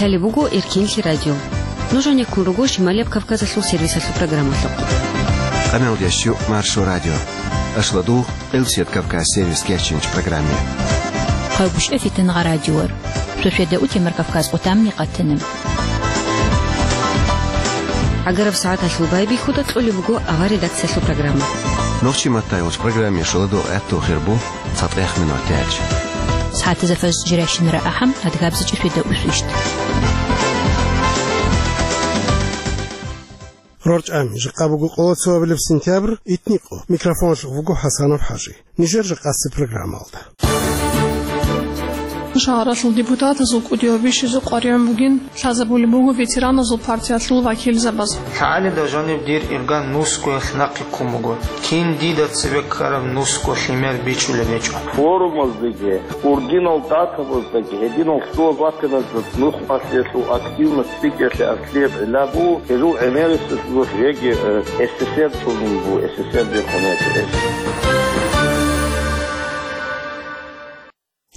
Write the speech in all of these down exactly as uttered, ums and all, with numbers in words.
Лъалеб буго Эркинлъи радио. Нуж гьанеккун руго Шималияб Кавказалъул сервисалъул программалъухъ. Къамелдящу Маршо радио. Ашладугъ, Къилсият Кавказ сервис кечинч программе. Хъавгуш эфитан гъа радиор. Сосведа утемар Кавказ къутамни къатана. Агараб сагӀаталъул байбихьуда кьолеб буго авар редакциялъул программа. Нохчи маттайолч программе шоладугъ гӀатту хирбу. ЦатӀех минут яч. СагӀатазда фаз жиращинара ахӀам, адгабзичӀи фида усвищт. РорчӀами, жакъа буго къоло цоабилеб сентябрь, итникъо. Микрофонлъухъ вуго ХӀасанов ХӀажи. Нижер жакъасеб программалда. Шагьаралъул депутатазул кӀудияв бищизе къваригӀун бугин лъазабулеб буго ветераназул партиялъул вакилзабаз. ЛъагӀалида жаниб дир ирган нусгоялъ нахъе ккун буго. Кин дида цебе ккараб нусго лъимер бичӀчӀулеб гьечӀо. Форумаздаги, ургьинал датабаздаги, гьединал лъугьа-батаназда нухмалъиялъул активность цӀикӀкӀалъе аслияб гӀилла буго, гьезул гӀемериселъулъ жеги, э, СССР цӀунун буго, СССР бехун гьечӀо гьес.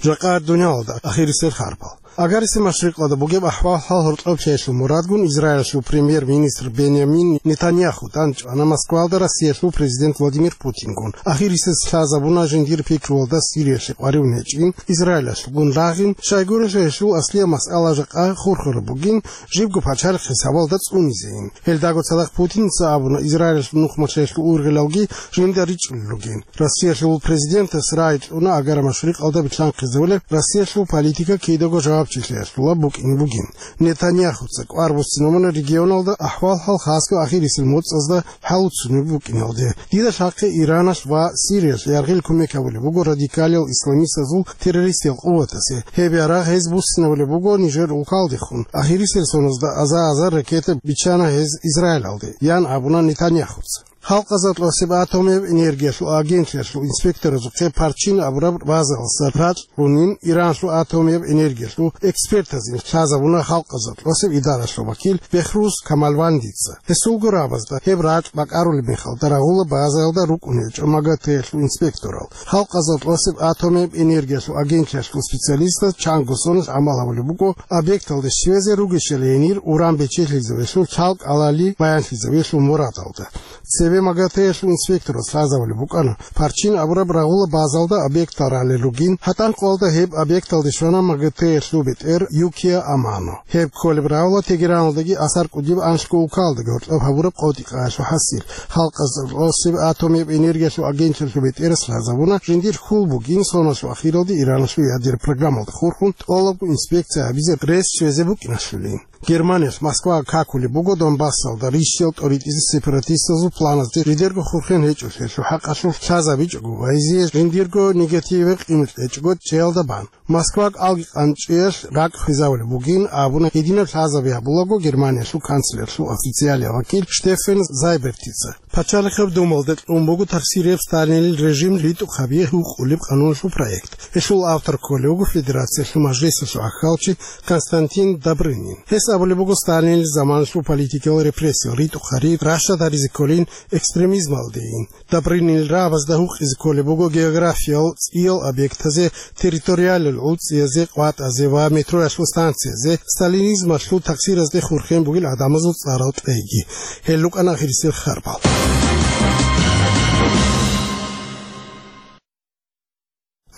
Жакъа дуниялалда ахирисел харпал. Агарисел машрикъалда бугеб ахӀвал-хӀал гьоркьоб лъеялъул мурадгун Израилалъул премьер-министр Бенямин Нетаньяху тӀанчӀвана Москвалда Россиялъул президент Владимир Путингун. Ахирисез лъазабуна жиндир пикруялда Сириялъе къваригӀун гьечӀин, Израилалъгун рагъин, щайгурелъул гьелъул аслияб масъала жакъа хурхараб бугин, жибго пачалихъ хӀисабалда цӀунизейин. Гьелдаго цадахъ Путинца абуна, Израилалъул нухмалъиялъул ургъелалги жинда ричӀчӀулел ругин. Россиялъул президентас рагӀи кьуна агара машрикъалда билълъанхъизавулеб Россиялъул политика кидаго жавабчилъиялъула букӀине бугин. Нетаньяхуца кӀвар буссинабуна регионалда ахӀвал-хӀал хасго ахирисел моцӀазда хӀалуцунеб букӀиналде. Дида лъахъе Ираналъ ва Сириялъ яргъил кумек гьабулеб буго радикалиял исламистазул террористиял къуватасе. Гьеб ярагъ гьез буссинабулеб буго нижер улкалдехун. Ахирисел соназда аза-азар ракета биччана гьез Израилалде, ян абуна Нетаньяхуца. Халкъазда тӀасеб атомияб энергиялъул агентлъиялъул инспекторазухъе Парчин абураб базаялдаса ракь гьунин, Иранлъул атомияб энергиялъул экспертазин лъазабуна халкъазда тӀасеб идаралъул вакил Бехруз Камалвандица. Гьесулго рабазда гьеб ракь бакӀарулеб мехалда рагъула базаялда рукӀун гьечӀо МАГАТЭ-ялъул инспекторал. Халкъазда тӀасеб атомияб энергиялъул агентлъиялъул специалистаз чанго соналъ гӀамал гьабулеб буго объекталде щвезе, ругищали гьенир уран бечелъизавелъул лъал кӀалали баянлъизавелъул мурадалда. Цебе МАГАТЭ-ялъул инспекторас лъазабулеб букӀана Парчин абураб рагъула базалда объектал ралел ругин, гьатӀан къоялда гьеб объекталде щвана МАГАТЭ-ялъул бетӀер Юкия Амано. Гьеб кколеб рагъула Тегераналдаги асар кӀудияб анлъго улкалдаги гьоркьоб гьабураб къотӀи-къайалъул хӀасил. Халкъазда тӀасеб атомияб энергиялъул агентлъиялъул бетӀерас лъазабуна, жиндир хьул бугин соналъул ахиралде Ираналъул ядераб программалда хурхун тӀолабго инспекция гьабизе рес щвезе букӀиналъулин. Германиялъ Москвага какулеб буго Донбассалда рищал тӀоритӀизе сепаратистазул планазде жидерго хурхен гьечӀолъиялъул хӀакъалъулъ лъазабичӀого ва гьезие жиндирго негативаб къимат кьечӀого чӀеялда бан. Москваг алги къанчӀеялъ ракӀ хвезавулеб бугин абуна гьединаб лъазаби гьабулаго Германиялъул канцлерлъул официалияв вакил Штеффен Зайбертица. Пачалихъаб Думалда кьун буго тахсирияб Сталинил режим ритӀухъаби гьукъулеб къануналъул проект. Гьелъул автор кколев вуго Федерациялъул Мажлисалъул гӀахьалчи Константин Добрынин. Гьес абулеб буго Сталинил заманалъул политикиял репрессиял ритӀухъари рашад гьаризе кколин экстремизмалдейин. Добрынинил рагӀабазда гьукъизе кколеб буго географиял цӀиял объектазе, территориалил гӀуцӀиязе, къватӀазе ва метроялъул станциязе, сталинизмалъул таксиразде хурхен бугел гӀадамазул цӀарал кьейги. Гьел рукӀана ахирисел харпал.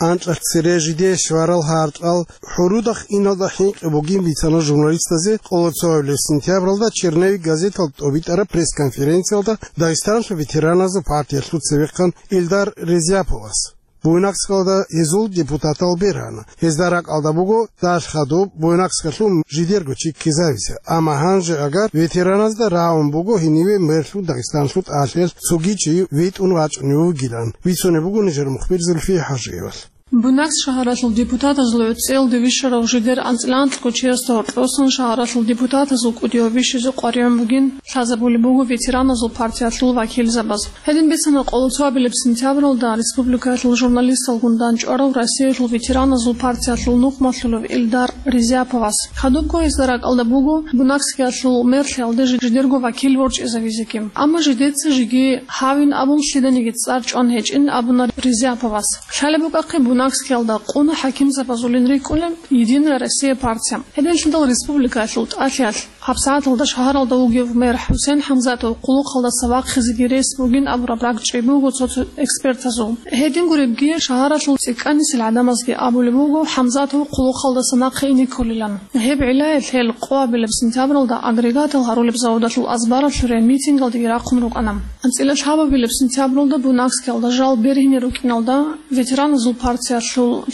Анкьалъ цере жиде щварал гьаркьал хӀурудахъ иналда хӀинкъи бугин бицана журналистазе къоло цоабилеб сентябралда Черновик газеталда тӀобитӀараб пресс-конференциялда Дагъистаналъул ветераназул партиялъул цевехъан Илдар Резяповас. Буйнакскалда гьезул депутатал берана. Гьезда ракӀалда буго дагьалъ хадуб Буйнакскалъул жидерго чи ккезавизе. Амма гьанже агар ветераназда рагӀун буго гьениве мерлъун Дагъистаналъул тӀалъиялъ цоги чи витӀун вачӀунев вугилан, бицунеб буго нижер мухбир Зульфия ХӀажиевалъ. Буйнакск шагьаралъул депутатазул гӀуцӀиялде вищарав жидер анцӀила анкьго чиясда гьоркьосан шагьаралъул депутатазул кӀудияв бищизе къваригӀун бугин лъазабулеб буго ветераназул партиялъул вакилзабаз. Гьедин бицана къоло цоабилеб сентябралда республикаялъул журналисталгун дандчӀварав Россиялъул ветераназул партиялъул нухмалъулев Илдар Резяповас. Хадубго гьезда ракӀалда буго Буйнакскиялъул мерлъиялде жи-, жидерго вакил ворчӀизавизеги. Амма жидеца жиги гьавин абун лъиданиги цӀар чӀван гьечӀин абуна Резяповас. Лъалеб букӀахъе Бунакскиялда къуна хӀакимзабазулин рикӀкӀунеб «Единая Россия» партия. Гьединлъидал республикаялъул тӀалъиялъ гьабсагӀаталда шагьаралда вугев мэр ХӀусен ХӀамзатов хъулухъалдаса вахъизеги рес бугин абураб ракӀчӀей буго цо-цо экспертазул. Гьедин гуребги, шагьаралъул цӀикӀкӀанисел гӀадамазги абулеб буго ХӀамзатов хъулухъалдаса нахъе ине кколилан. Гьеб гӀиллаялъ гьел къоабилеб сентябралда агрегатал гьарулеб заводалъул азбаралъуре митингалдеги рахъун рукӀана. АнцӀила лъабабилеб сентябралда Бунакскиялда жал бергьине рукӀиналда ветераназул партиялъул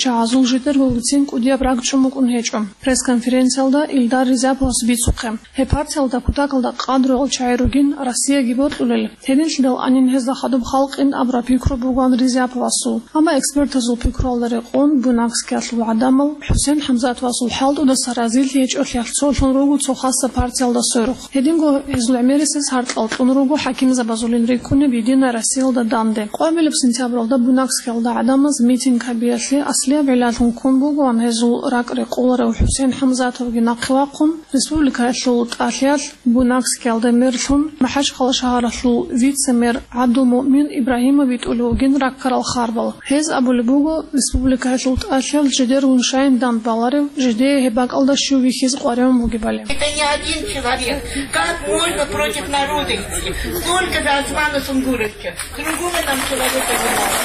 чагӀазул жидерго гицин кӀудияб ракӀчӀун букӀун гьечӀо. Пресс-конференциялда Илдар Ризаповас бицухъе, гьеб партиялда кутакалда къадру гьал чагӀи ругин Россияги бокьулел, гьединлъидал анин гьезда хадуб халкъин абураб пикру бугоан Ризаповасул. Амма экспертазул пикруялда рекъон, Бунакскиялъул гӀадамал ХӀусен ХӀамзатовасул хӀалтӀудаса разилъи гьечӀолъиялъ цолъун руго цо хаса партиялда сверухъ. Гьединго гьезул гӀемерисез гьаркьал кьун руго хӀакимзабазулин рикӀкӀунеб «Единая Россиялда» данде. Къоабилеб сентябралда Бунакскиялда гӀадамаз митинг гьабиялъе аслияб гӀиллалъун ккун бугоан гьезул ракӀ рекъоларев ХӀусен ХӀамзатовги нахъе вахъун, республикаялъул тӀалъиялъ Бунакскиялда мерлъун, МахӀачхъала шагьаралъул вице-мэр ГӀабдулмуъмин Ибрагьимов витӀулев вугин раккарал харбал. Гьез абулеб буго, республикаялъул тӀалъиялъ жидергун щайин дандбаларев, жидее гьеб бакӀалда щив вихьизе къваригӀун бугебали. Это не один человек. Как можно против народа идти? Сколько за Османа Сунгуровича? Кругом нам человека не надо.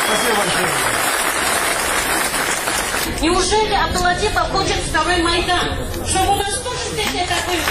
Спасибо большое. Неужели Абдулатипов хочет второй Майдан? Чтобы у нас тоже здесь это было?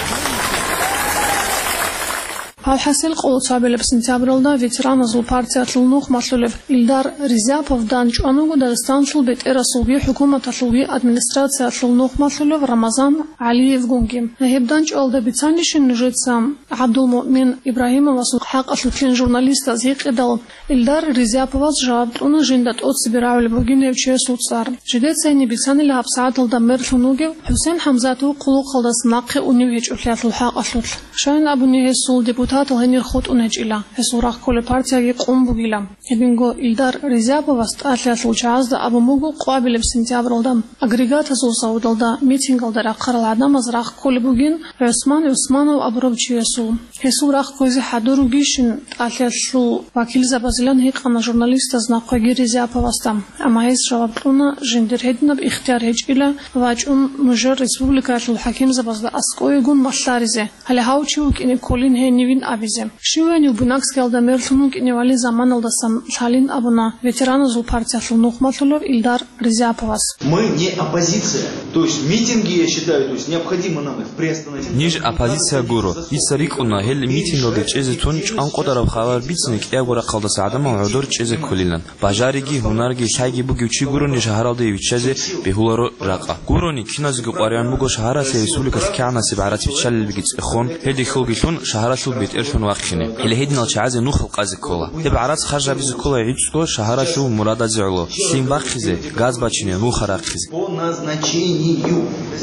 Алхасил, къоло цабилеб сентябралда ветераназул партиялъул нухмалъулев Илдар Ризапов данчӀван вуго Дагъистаналъул бетӀерасулги хӀукуматалъулги администрациялъул нухмалъулев Рамазан ГӀалиевгунги. Гьеб данчӀвалда бицанищин нужеца ГӀабдулмуъмин Ибрагьимовасул хӀакъалъулъин журналистаз гьикъидал, Илдар Ризаповас жаваб кьуна жинда тӀоцебе рагӀулеб бугин гьев чиясул цӀар. Жидеца гьениб бицанила гьабсагӀаталда мерлъун вугев ХӀусен ХӀамзатов хъулухъалдаса нахъе унев гьечӀолъиялъул хӀакъалъулъ. Щайин абуни гьесул депутатал гьенир хутӀун гьечӀила, гьесул рахъ кколеб партияги къун бугила. Гьединго Илдар Ризаповас тӀалъиялъул чагӀазда абун буго къвабилеб сентябралда агрегатазул заводалда митингалда рахъарал гӀадамаз рахъ кколеб бугин ГӀусман ГӀусманов абурав чиясул. Гьесул рахъ кквезе хӀадур ругищин тӀалъиялъул вакилзабазилан гьикъана журналистаз нахъеги Ризаповасда. Амма гьес жаваб кьуна, жиндир гьединаб ихтияр гьечӀила вачӀун нужер республикаялъул хӀакимзабазда аскӀовегун малъаризе. Гьале гьав чи вукӀине кколин гьенивин абизе. Щиванив Бунакскиялда мерлъун вукӀиневали заманалдасан лъалин абуна ветераназул партиялъул нухмалъулев Илдар Ризаповас. Мы не оппозиция. То есть митинги, я считаю, то есть необходимо нам их приостановить. Ниж оппозиция гуро. Дица рикӀкӀуна, гьел митингалде чӀезе тун чӀван къотӀараб хабар бицине кӀиябго рахъалдаса гӀадамал гӀодор чӀезе кколилан. Бажариги, гьунарги, лъайги бугев чи гурони шагьаралде виччазе бегьуларо ракъа. Гурони, киназеги къваригӀун буго шагьаралъе республикалъ кигӀанасеб гӀарац биччалилебги цӀехон, гьелде хьулги лъун шагьаралъул бетӀерлъун вахъине. Гьеле гьединал чагӀазе нухал къазе ккола. Гьеб гӀарац харжабизе ккола гӀицӀго шагьаралъул мурадазе гӀоло: лъим бахъизе, газ бачине, нуха рахъизе. По назначению.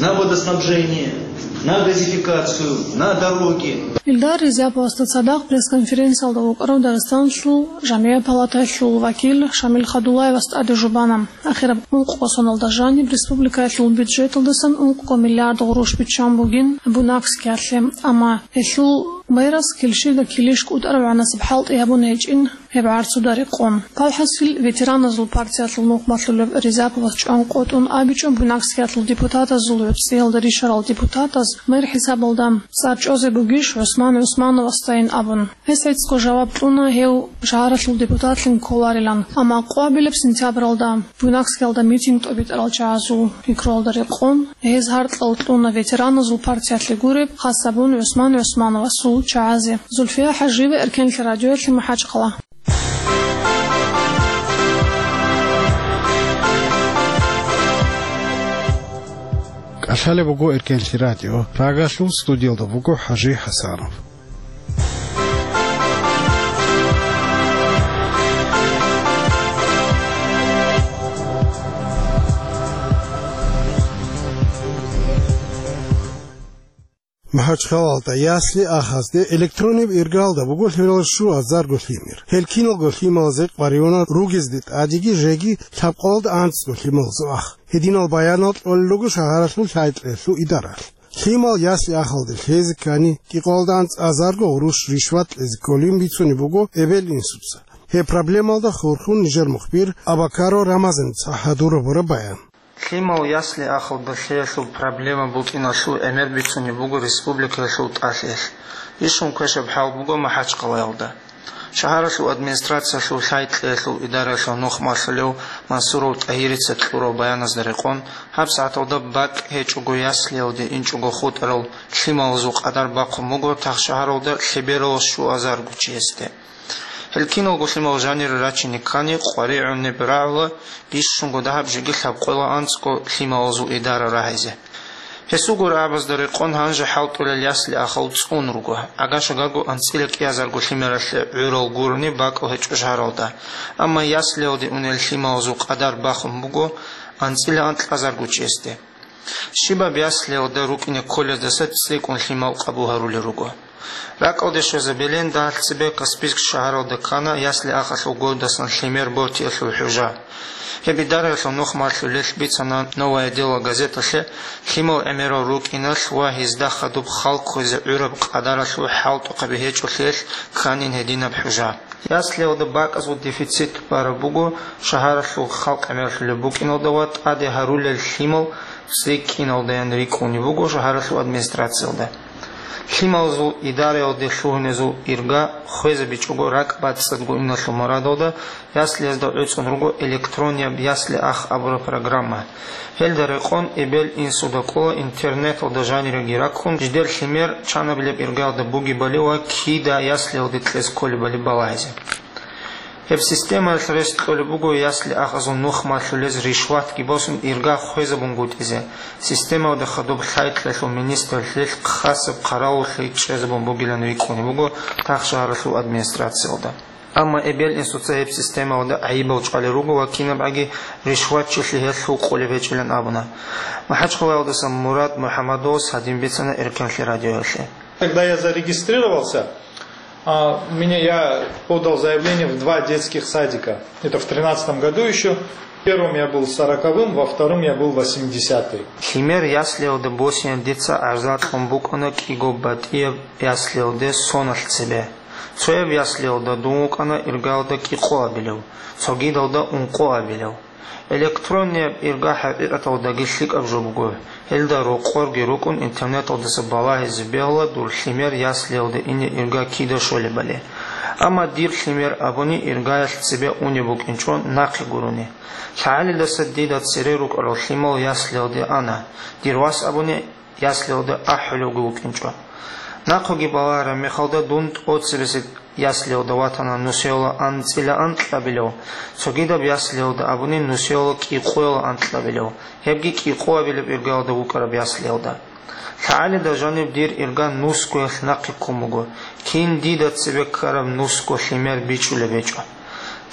На водоснабжение, на газификацию, на дороги. Илдар Ризаповасда цадахъ пресс-конференциялда вукӀарав Дагъистаналъул жамгӀият палатаялъул вакил Шамил Хадуллаевас тӀаде жубана. Ахираб ункъго соналда жаниб республикаялъул бюджеталдасан ункъго миллиард гъурущ биччан бугин Бунакскиялъе, амма гьелъул мэрас килщида килищ кӀутӀараб гӀанасеб хӀалтӀи гьабун гьечӀин гьеб гӀарцуда рекъон. Палхасил, ветераназул партиялъул нухмалъулев Ризаповас чӀван къотӀун абичӀо Бунакскиялъул депутатазул гӀуцӀиялда ришарал депутатаз мэр хӀисабалда цӀар чӀвазе бугищ ГӀусман ГӀусмановасдайин абун. Гьес гӀицӀго жаваб кьуна гьев шагьаралъул депутатлъун кколарилан, амма къвабилеб сентябралда Бунакскиялда митинг тӀобитӀарал чагӀазул пикруялда рекъон, гьез гьаркьал кьуна ветераназул партиялъе гуреб, хас гьабун ГӀусман ГӀусмановасул чагӀазе. Зульфия ХӀажиева, Эркенлъи радиоялъе, МахӀачхъала. КӀалъалеб буго Эркенлъи радио. Прагалъул студиялда вуго ХӀажи ХӀасанов. МахӀачхъалалда ясли ахӀазде электрониб иргалда буго лъурал щуазарго лъимер. Гьел киналго лъималазе къваригӀуна ругезде тӀадеги жеги лъабкъоялда анцӀго лъималазул ах. Гьединал баянал кьолел руго шагьаралъул лъай-кьеялъул идаралъ. Лъимал ясли ахӀалде лъезе ккани, кӀикъоялда анцӀазарго гъурущ ришват кьезе кколин бицунеб буго эбел-инсуца. Гьеб проблемалда хурхун нижер мухбир Абакаров Рамазаница гьадураб бура баян. Лъимал ясли-ахалда лъеялъул проблема букӀиналъул гӀемер бицунеб буго республикаялъул тӀалъиялъ. Бищун квешаб хӀал буго МахӀачхъалаялда. Шагьаралъул администрациялъул лъай-кьеялъул идараялъул нухмалъулев Мансуров ТӀагьирица кьурал баяназда рекъон, гьабсагӀаталда бакӀ гьечӀого яслиялде инчӀого хутӀарал лъималазул къадар бахъун буго тахшагьаралда лъебералас щуазарго чиясде. Гьел киналго лъимал жанире рачине ккани, къваригӀунеб рагӀула бищунго дагьаб жеги лъабкъоялда анцӀго лъималазул идара рагьизе. Гьесулго рагӀабазда рекъон гьанже хӀалтӀулел ясли-ахал цӀун руго, гӀагашагарго анцӀила кӀиазарго лъимералъе гӀурал гурони бакӀал гьечӀо шагьаралда, амма яслиялде унел лъималазул къадар бахун буго анцӀила анкьазарго чиясде. Щибаб яслиялда рукӀине кколездаса цӀикӀкӀун лъимал къабул гьарулел руго. РакӀалде щвезабилин дагьалъ цебе Каспийск шагьаралда ккана ясли-ахалъул годасан лъимер бортиялъул хӀужа. Гьеб идараялъул нухмалъулелъ бицана «Новое дело» газеталъе, лъимал гӀемерал рукӀиналъ ва гьезда хадуб халкъ хвезе гӀураб къадаралъул хӀалтӀухъаби гьечӀолъиялъ кканин гьединаб хӀужа. Яслиялда бакӀазул дефицит бараб буго шагьаралъул халкъ гӀемерлъулеб букӀиналда ва тӀаде гьарулел лъимал цӀикӀкӀиналдаян рикӀкӀунеб буго шагьаралъул администрациялда. Лъималазул идараялде лъугьунезул ирга хвезабичӀого ракӀ бацӀцӀадго иналъул мурадалда яслиязда гӀуцӀун руго «Электронияб ясли-ах» абураб программа. Гьелда рекъон эбел-инсуда кӀола интернеталда жаниреги раккун, жидер лъимер чанабилеб иргаялда бугебали ва кида яслиялде кьез кколебали балагьизе. Гьеб системаялъ рес кьолеб буго ясли-ахазул нухмалъулез ришватги босун ирга хвезабунгутӀизе, системалда хадуб лъай-кьеялъул министрлъилъ хасаб хъаравуллъи чӀезабун бугилан рикӀкӀунеб буго тахшагьаралъул администрациялда. Амма эбел-инсуца гьеб системалда гӀайибал чӀвалел руго ва кинабгӀаги ришватчилъи гьелъул къулеб гьечӀилан абуна. МахӀачхъалаялдаса Мурад МухӀамадовас гьадин бицана Эркенлъи радиоялъе. Когда я зарегистрировался, а, меня, я подал заявление в два детских садика. Это в тринадцатом году еще. В первом я был сороковым, во втором я был восьмидесятый. Лъимер яслиялда босине дица гӀарза кьун букӀана кӀиго батӀияб яслиялде соналъ цебе. Цояб яслиялда дун вукӀана иргаялда кӀикъоабилев, цогидалда ункъоабилев. Электронияб ирга хӀакъикъаталдаги лъикӀаб жо буго, гьелда рокъорги рукӀун интернеталдаса балагьизе бегьула дур лъимер яслиялде ине ирга кида щолебали. Амма дир лъимер абуни иргаялъ цебе унеб букӀинчӀо нахъе гурони. ЛъагӀалидаса дида цере рукӀарал лъимал яслиялде ана, дир вас абуни яслиялда ахӀулевги вукӀинчӀо. Нахъеги балагьараб мехалда дун тӀоцебесеб яслиялда ватана нусиялда анцӀила анкьабилев, цогидаб яслиялда абуни нусиялда кӀикъоялда анкьабилев, гьебги кӀикъоабилеб иргаялда вукӀараб яслиялда. ЛъагӀалида жаниб дир ирга нусгоялъ нахъе ккун буго, кин дида цебе ккараб нусго лъимер бичӀчӀулеб гьечӀо.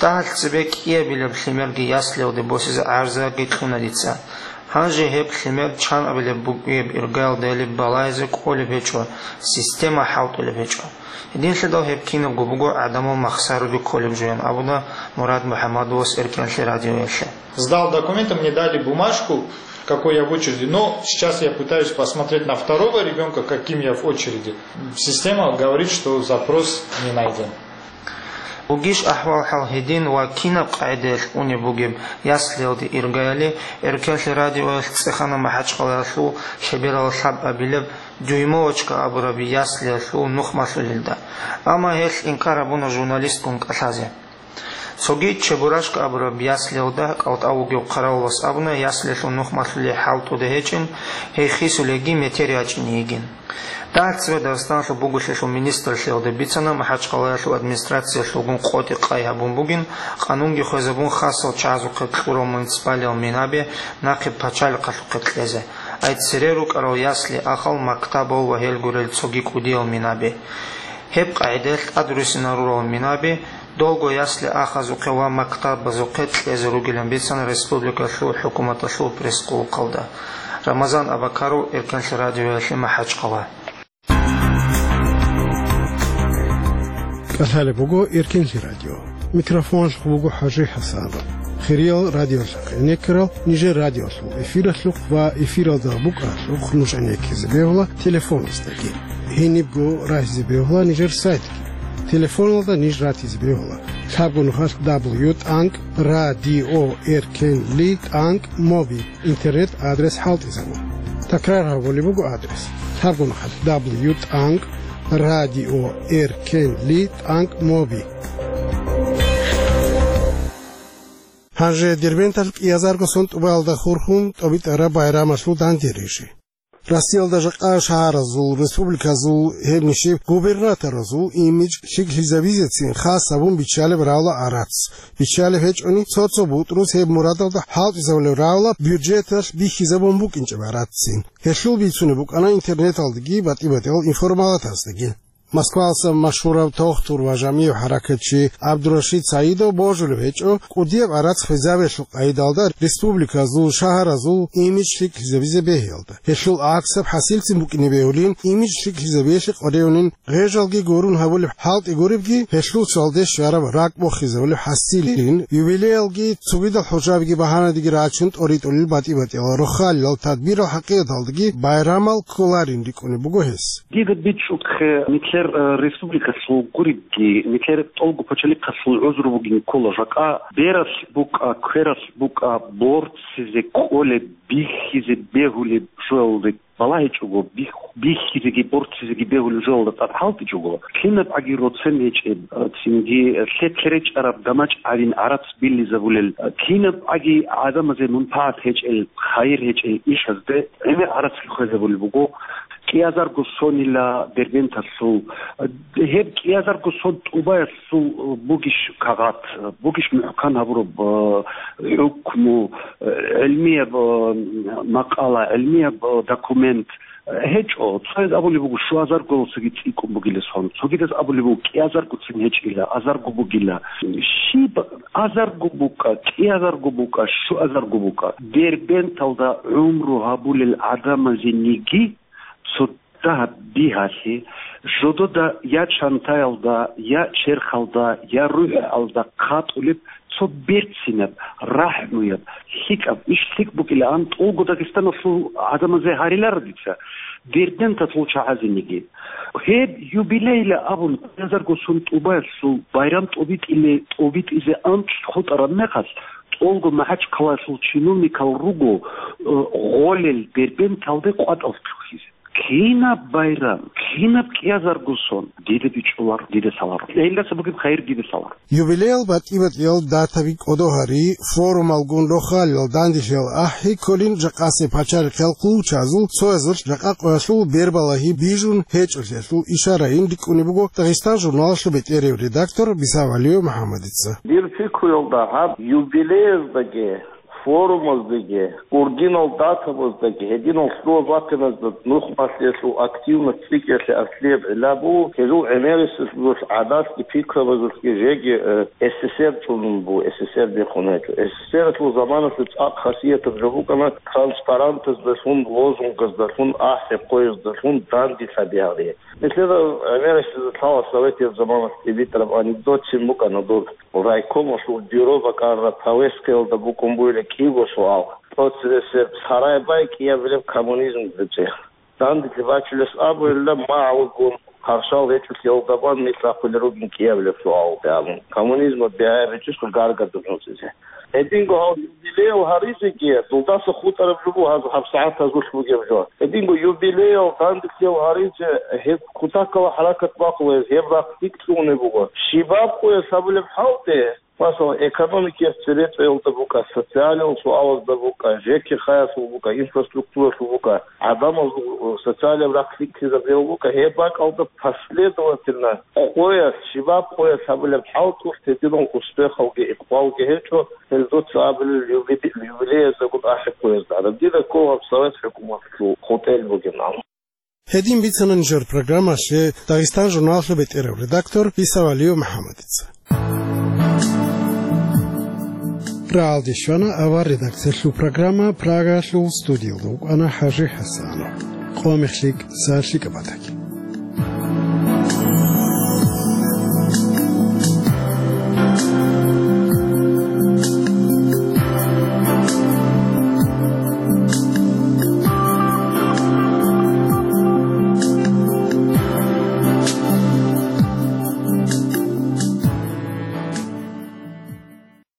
Дагьалъ цебе кӀиабилеб лъимерги яслиялде босизе гӀарзаги кьуна дица. Гьанже гьеб лъимер чанабилеб бугеб иргаялдайилеб балагьизе кӀолеб гьечӀо, система хӀалтӀулеб гьечӀо. Гьединлъидал гьеб кинабго буго гӀадамал махсаруде кколеб жо, ян абуна Мурад МухӀамадовас Эркенлъи радиоялъе. Сдал документы, мне дали бумажку, какой я в очереди, но сейчас я пытаюсь посмотреть на второго ребёнка, каким я в очереди. Система говорит, что запрос не найден. Бугищ ахӀвал-хӀал гьедин ва кинаб къагӀидаялъ унеб бугеб яслиялде иргаяли, Эркенлъи радиоялъ цӀехана МахӀачхъалаялъул лъеберал лъабабилеб Дюймовочка абураб яслиялъул нухмалъулелда. Амма гьелъ инкар гьабуна журналистгун кӀалъазе. Цоги Чебурашка абураб яслиялда кӀалтӀав вугев хъаравулас абуна, яслиялъул нухмалъулей хӀалтӀуда гьечӀин, гьей хисулейги метер ячӀине йигин. Дагьаб цебе Дагъистаналъул буголъиялъул министрлъиялда бицана, МахӀачхъалаялъул администрациялъулгун къотӀи-къай гьабун бугин, къанунги хвезабун хасал чагӀазухъе кьурал муниципалиял минаби нахъе пачалихъалъухъе кьезе, ай цере рукӀарал ясли-ахал, мактабал ва гьел гурел цоги кӀудиял минаби. Гьеб къагӀидаялъ тӀадрусинал рурал минаби, долго ясли-ахазухъе ва мактабазухъе кьезе ругилан бицана республикалъул хӀукуматалъул пресс-къулухъалда. Рамазан Абакаров, Эркенлъи радиоялъе, МахӀачхъала. КӀалъалеб буго Эркенлъи радио. Микрофоналъухъ буго ХӀажи ХӀасанов. Хириял радиолъухъ гӀенеккарал нижер радиолъул эфиралъухъ ва эфиралда букӀаралъухъ нуж гӀенеккизе бегьула телефоназдаги. Гьенибго рагьизе бегьула нижер сайтги. Телефоналда ниж ратизе бегьула Лъабгун хъалъ W тӀанкӀ радио R K L тӀанкӀ моби интернет адрес хӀалтӀизабун. Такрар гьабулеб буго адрес: лъабгун хъалъ W тӀанкӀ радио R K L тӀанкӀ моби. Гьанже Дербенталъ кӀиазарго сон тӀубаялда хурхун тӀобитӀараб байрамалъул дандерижи. Россиялда жакъа шагьаразул, республиказул, гьеб нижер губернаторазул имидж лъикӀлъизабизецин хас гьабун биччалеб равла гӀарац. Биччалеб гьечӀони, цо-цо бутӀрус гьеб мурадалда хӀалтӀизабулеб равла бюджеталъ бихьизабун букӀинчӀеб гӀараццин. Гьелъул бицунеб букӀана интернеталдаги батӀи-батӀиял информалатаздаги. Москвалъа машгьурав тохтур ва жамигӀ хӀаракатчи ГӀабдурашид Саидов божулеб гьечӀо, кӀудияб гӀарац хвезабиялъул къайдалда республиказул, шагьаразул имидж лъикӀлъизабизе бегьиялда. Гьелъул гӀаксаб хӀасилцин букӀине бегьулин, имидж лъикӀлъизабиялъе къваригӀунин гъежалги гурун гьабулеб хӀалтӀи гуребги, гьелъул цоялде щвараб ракӀ бохизабулеб хӀасилин, юбилеялги цогидал хӀужабиги багьанадеги рачун тӀоритӀулел батӀи-батӀиял рохалилал тадбирал хӀакъикъаталдаги байрамал кколарин рикӀкӀунеб буго гьес. Дида бичӀчӀухъе, нилъер, э, республикалъул гуребги, нилъер тӀолго пачалихъалъул гӀузру бугин ккола жакъа, бералъ букӀа, квералъ букӀа, борцизе кколеб, бихьизе бегьулеб жоялде балагьичӀого, бих-, бихьизеги борцизеги бегьулеб жоялда тӀад хӀалтӀичӀого, кинаб гӀаги роцен гьечӀеб, э, цинги, э, лъе-лъе речӀараб гамачӀ гьавин гӀарац биллизабулел, э, кинаб гӀаги гӀадамазе мунпагӀат гьечӀел, хайир гьечӀел ишазде гӀемер гӀарацги хвезабулеб буго. КӀиазарго сонила Дербенталъул, гьеб кӀиазарго сон тӀубаялъул бугищ кагъат, бугищ мухӀкан гьабураб, э, хӀукму, э, гӀилмияб, э, макъала, гӀилмияб, э, документ, э, гьечӀо. Цояз абулеб буго, щуазарго цоги цӀикӀкӀун бугила сон, цогидаз абулеб буго, кӀиазарго цин гьечӀила, азарго бугила. Щиб азарго букӀа, кӀиазарго букӀа, щуазарго букӀа. Дербенталда гӀумру гьабулел гӀадамазениги цо дагьаб бигьалъе, жодода я чантаялда, я черхалда, я рухӀалда хъатӀулеб цо берцинаб, рахӀмуяб, лъикӀаб, иш лъикӀ букӀилаан тӀолго Дагъистаналъул гӀадамазе гьариларо дица, Дербенталъул чагӀазениги. Гьеб юбилейла абун, кӀиазарго сон тӀубаялъул байрам тӀобитӀиле, тӀобитӀизе анцӀ хутӀараб мехалъ, тӀолго МахӀачхъалаялъул чиновникал руго, э, гъолел Дербенталде къватӀал лъухьизе. Кинаб байрам, кинаб кӀиазарго сон, дида бичӀчӀуларо, дида лъаларо. Гьелдаса бугеб хайир дида лъаларо. Юбилеял батӀи-батӀиял датаби кӀодо гьари, форумалгун рохалилал данделъиял ахӀи кколин жакъасеб пачалихъал хъулчазул цоязулъ жакъа къоялъул бербалагьи бижун гьечӀолъиялъул ишарайин рикӀкӀунеб буго Дагъистан журналалъул бетӀерев редактор Бисавалиев МухӀаммадица. Дир пикруялда гьаб юбилеяздаги, форумаздаги, гурдинал датабаздаги, гьединал лъугьа-бахъиназда нух малъиялъул активность цӀикӀкӀиялъе аслияб гӀилла буго, гьезул гӀемерисезулъ гӀадатги пикрабазулъги жеги, э, С С С Р чӀунун буго, С С С Р биххун гьечӀо. С С С Р-алъул заманалъе цӀакъ хасиятаб жо букӀана транспарантаздалъун, лозунгаздалъун, ахӀи-хъуяздалъун данде лъаби гьари. Нилъеда гӀемерисезда лъала советияб заманалъ тӀибитӀараб анекдотцин букӀана дур. Райкомалъул бюро бакӀараб повесткаялда букӀун бугила кӀиго суал. ТӀоцебесеб сарай бай кӀиабилеб коммунизм гьечӀеб. Данделъи бачулес абугӀилла, магӀалгун, хъаршал гьечӀолъиялда бан нилъ ахъулел ругин кӀиабилеб суал абун. Коммунизмалъ бигьаяб гьечӀищха гаргадулъ гьунцӀизе? Гьединго гьав юбилеял гьаризеги, дулдаса хутӀараб жо буго гьаб, гьабсагӀат гьазулъ бугеб жо. Гьединго юбилеял, данделъиял гьаризе гьеб кутакалда хӀаракат бахъулеб, гьеб рахъ лъикӀ лъугьунеб буго. Щибаб къоялъ гьабулеб хӀалтӀи, масала, экономикаялъ цебетӀеялда букӀа, социалияб суалазда букӀа, ЖКХ-ялъул букӀа, инфраструктуралъул букӀа, гӀадамазул социалияб рахъ лъикӀлъизабиялъул букӀа, гьеб бакӀалда последовательно къоялъ, щибаб къоялъ гьабулеб хӀалтӀулъ гьединал успехалги икъбалги гьечӀо, гьел дуца абулел юбиле-, юбилеяздагун ахӀи-хъуязда. Гьараб дида ккола гьаб Совет хӀукуматалъул хутӀел бугин абун. Гьедин бицана нижер программалъе Дагъистан журналалъул бетӀерав редактор Бисавалиев МухӀаммадица. Рагьалде щвана авар редакциялъул программа, Прагалъул студиялда вукӀана ХӀажи ХӀасанов. Къо мехлъи, са лъикӀаб батаги.